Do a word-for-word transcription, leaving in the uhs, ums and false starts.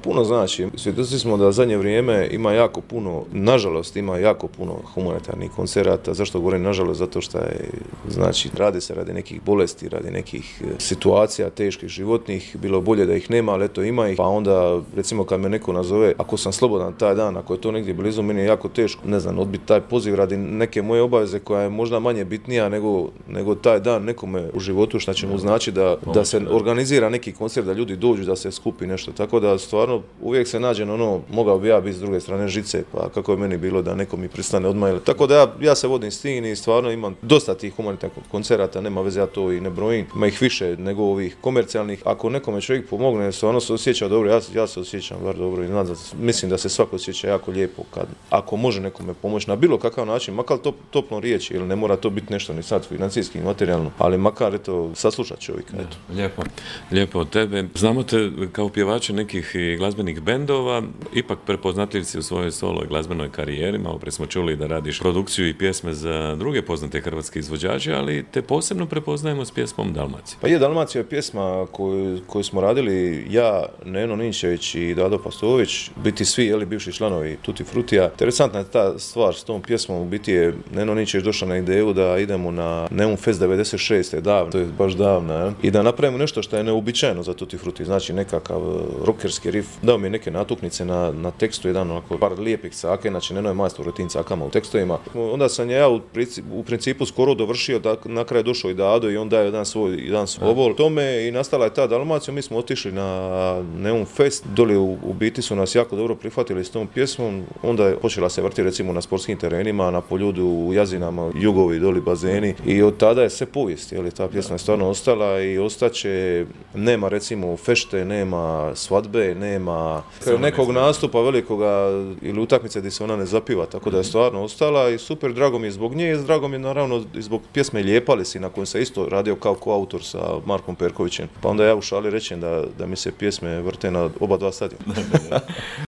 puno znači. Svjedoci smo da zadnje vrijeme ima jako puno, nažalost ima jako puno humanitarnih koncerata. Zašto govorim nažalost? Zato što je, znači, radi se radi nekih bolesti, radi nekih situacija teških životnih, bilo bolje da ih nema, ali eto ima ih. Pa onda, recimo, kad me neko nazove, ako sam slobodan taj dan, ako je to negdje blizu, meni je jako teško, ne znam, odbiti taj poziv radi neke moje obaveze koja je možda manje bitnija nego, nego taj dan nekome u životu, što će mu znači da, da se organizira neki koncert, da ljudi dođu, da se skupi nešto. Tako da stvarno uvijek se nađe ono, mogao bi ja biti s druge strane žice, pa kako je meni bilo da neko mi pristane odmah. Tako da ja, ja se vodim s tim i stvarno imam dosta tih humanitarnih koncerata, nema veze, ja to i ne brojim. Ima ih više nego ovih komercijalnih. Ako nekome čovjek pomogne, stvarno se osjeća dobro, ja, ja se osjećam bar dobro i znam, mislim da se svako osjeća jako lijepo kad, ako može nekome pomoći na bilo kakav način, makar top, topno riječi, ili ne mora to biti nešto ni sad financijski, materijalno, ali makar eto, saslušat čovjeka. Eto. Lijepo, lijepo od tebe. Znamo te kao pjevače nekih glazbenih bendova, ipak prepoznatljiv si u svojoj solo glazbenoj karijeri. Malo prije smo čuli da radiš produkciju i pjesme za druge poznate hrvatske izvođače, ali te posebno prepoznajemo s pjesmom Dalmacija. Pa je, Dalmacija je pjesma koju, koju smo radili ja, Neno Ninčević i Dado Pastović, biti svi, jeli, bivši članovi Tutti Frutija. Interesantna je ta stvar s tom pjesmom, u biti je Neno Ninčević došao na ideju da idemo na Neum Fest devedeset šeste, davno, to je baš davno, je, i da napravimo nešto što je neuobičajeno za Tutti Frutti, znači nekakav rockerski riff. Dao mi je neke natuknice na, na tekstu, jedan onako par lijepih caka, znači Neno je majstor u tim cakama u tekstovima. Onda sam ja u principu, u principu skoro dovršio, da na kraju došao i Dado i on daje jedan svoj, jedan svoj obol tome i nastala je ta Dalmacija. Mi smo otišli na Neum Fest, doli u, u biti su nas jako dobro prihvatili s tom pjesmom, onda je počela se vrti recimo na sportskim terenima, na Poljudu, u Jazinama, jugovi, doli bazeni i od tada je sve povijest, jel, ta pjesma je stvarno ostala i ostaće, nema recimo fešte, nema svadbe, nema nekog nastupa velikoga ili utakmice gdje se ona ne zapiva, tako da je stvarno ostala i super, drago mi je zbog nje i drago mi je naravno i zbog pjesme Lijepali si, na kojem se isto radio kao koautor sa Markom Perkovićem, pa onda ja u šali rečem da, da mi se pjesme vrte na oba dva stadiona.